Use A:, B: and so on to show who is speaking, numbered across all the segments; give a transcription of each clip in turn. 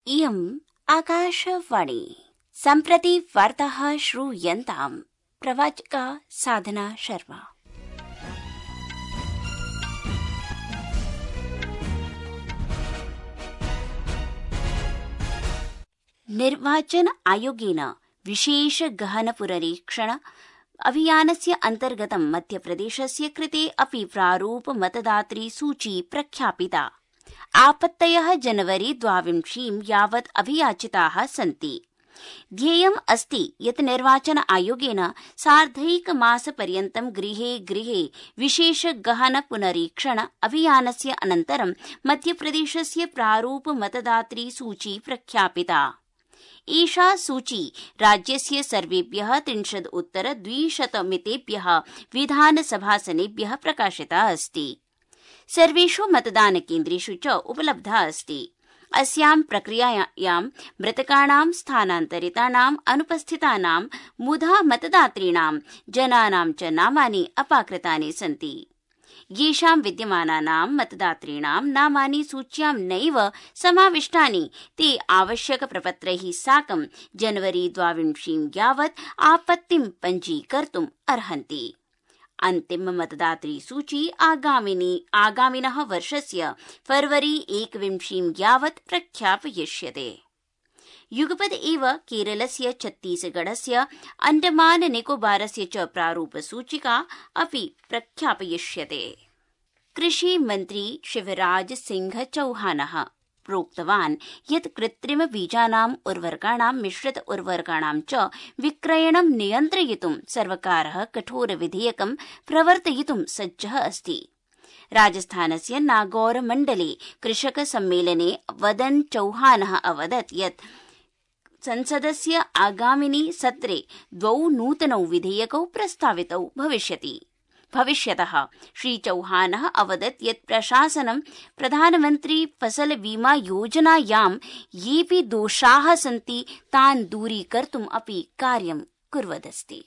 A: इयम् आकाशवाणी। सम्प्रति वार्ताः श्रूयन्ताम्। प्रवाचिका साधना शर्मा। निर्वाचन आयोगेन विशेष गहन पुनरीक्षण अभियानस्य अन्तर्गतं मध्यप्रदेशस्य कृते अपि प्रारूप मतदातृ सूची प्रख्यापिता। आपत्तयः जनवरी 22 यावत् अभियाचिताः सन्ति। ध्येयम् अस्ति यत् निर्वाचन आयोगेन सार्धैकमासपर्यन्तं गृहे गृहे विशेष गहन पुनरीक्षण अभियानस्य अनन्तरं मध्यप्रदेशस्य प्रारूप मतदातृ सूची प्रख्यापिता। एषा सूची राज्यस्य सर्वेभ्यः 30-उत्तर-200 मितेभ्यः विधानसभासनेभ्यः प्रकाशिता अस्ति। सर्वेषु मतदानकेन्द्रेषु च उपलब्धा अस्ति। अस्यां प्रक्रियायां मृतकानां, स्थानान्तरितानां, अनुपस्थितानां, मुधा मतदातॄणां जनानां च नामानि अपाकृतानि सन्ति। येषां विद्यमानानां मतदातॄणां नामानि सूच्यां नैव समाविष्टानि ते आवश्यकप्रपत्रैः साकं जनवरी 22 यावत् आपत्तिं पञ्जीकर्तुम् अर्हन्ति। अन्तिम मतदातृ सूची आगामिनः वर्षस्य फरवरी 21 यावत् प्रख्यापयिष्यते। युगपद् एव केरलस्य, छत्तीसगढस्य, अण्डमान निकोबारस्य च प्रारूपसूचिका अपि प्रख्यापयिष्यते। कृषिमन्त्री शिवराज सिंह चौहानः प्रोक्तवान् यत् कृत्रिम बीजानाम्, उर्वरकाणां, मिश्रित उर्वरकाणां च विक्रयणं नियन्त्रयितुं सर्वकारः कठोर विधेयकं प्रवर्तयितुं सज्जः अस्ति। राजस्थानस्य नागौर मण्डले कृषक सम्मेलने वदन् चौहानः अवदत् यत् संसदस्य आगामिनि सत्रे 2 नूतनौ विधेयकौ प्रस्तावितौ भविष्यतः। श्री चौहानः अवदत् यत् प्रशासनं प्रधानमन्त्री फसल बीमा योजनायां येऽपि दोषाः सन्ति तान् दूरीकर्तुम् अपि कार्यं कुर्वदस्ति।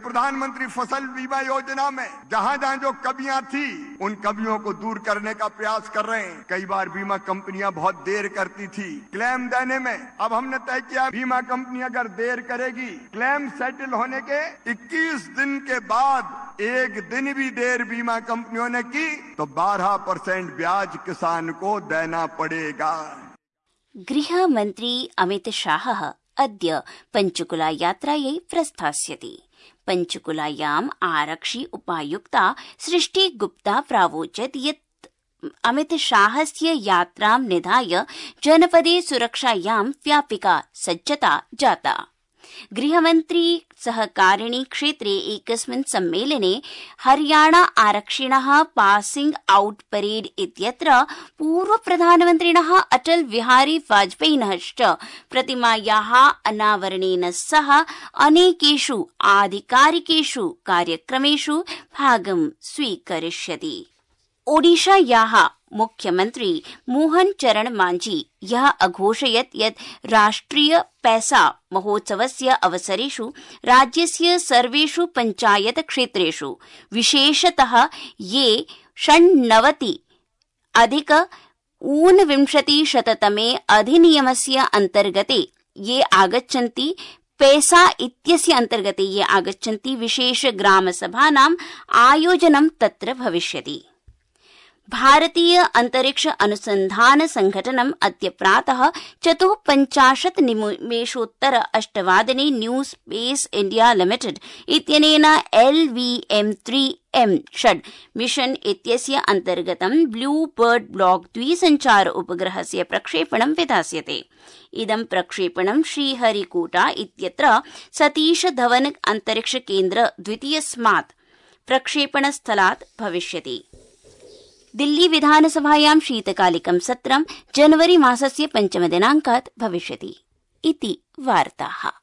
B: प्रधानमंत्री फसल बीमा योजना में जहाँ जहाँ जो कमियां थी उन कमियों को दूर करने का प्रयास कर रहे हैं। कई बार बीमा कंपनियां बहुत देर करती थी क्लेम देने में। अब हमने तय किया बीमा कंपनी अगर देर करेगी, क्लेम सेटल होने के 21 दिन के बाद एक दिन भी देर बीमा कंपनियों ने की तो 12% ब्याज किसान को देना पड़ेगा।
A: गृहमन्त्री अमित शाहः अद्य पञ्चकुला यात्रायै प्रस्थास्यति। पञ्चकुलायाम् आरक्षि उपायुक्ता सृष्टि गुप्ता प्रावोचत् यत् अमित शाहस्य यात्रां निधाय जनपदे सुरक्षायां व्यापिका सज्जता जाता। गृहमन्त्री सहकारिणी क्षेत्रे एकस्मिन् सम्मेलने हरियाणा आरक्षिणः पासिंग आउट परेड इत्यत्र पूर्व प्रधानमन्त्रिणः अटल बिहारी वाजपेयिनः च प्रतिमायाः अनावरणेन सह अनेकेषु आधिकारिकेषु कार्यक्रमेषु भागं स्वीकरिष्यति। ओडिशायाः मुख्यमन्त्री मोहन चरण मांझी यः अघोषयत् यत् राष्ट्रिय पैसा महोत्सवस्य अवसरेषु राज्यस्य सर्वेषु पञ्चायत क्षेत्रेषु विशेषतः ये 96-अधिक-ऊनविंशतिशततमे अधिनियमस्य अन्तर्गते ये आगच्छन्ति पैसा इत्यस्य अन्तर्गते ये आगच्छन्ति विशेष ग्रामसभानाम् आयोजनं तत्र भविष्यति। भारतीय अंतरिक्ष अनुसंधान संघटनम् अद्य प्रातः 54:08 न्यू स्पेस इंडिया लिमिटेड इत्यनेन LVM-3M-6 मिशन इत्यस्य अन्तर्गतं ब्लू बर्ड ब्लॉक द्विसञ्चार उपग्रहस्य प्रक्षेपणं विधास्यते। इदं प्रक्षेपणं श्रीहरिकोटा इत्यत्र सतीश धवन अंतरिक्ष केन्द्र द्वितीयस्मात् प्रक्षेपणस्थलात् भविष्यति। दिल्ली विधानसभायां शीतकालिकं सत्रं जनवरी मासस्य 5 दिनाङ्कात् भविष्यति इति वार्ताः।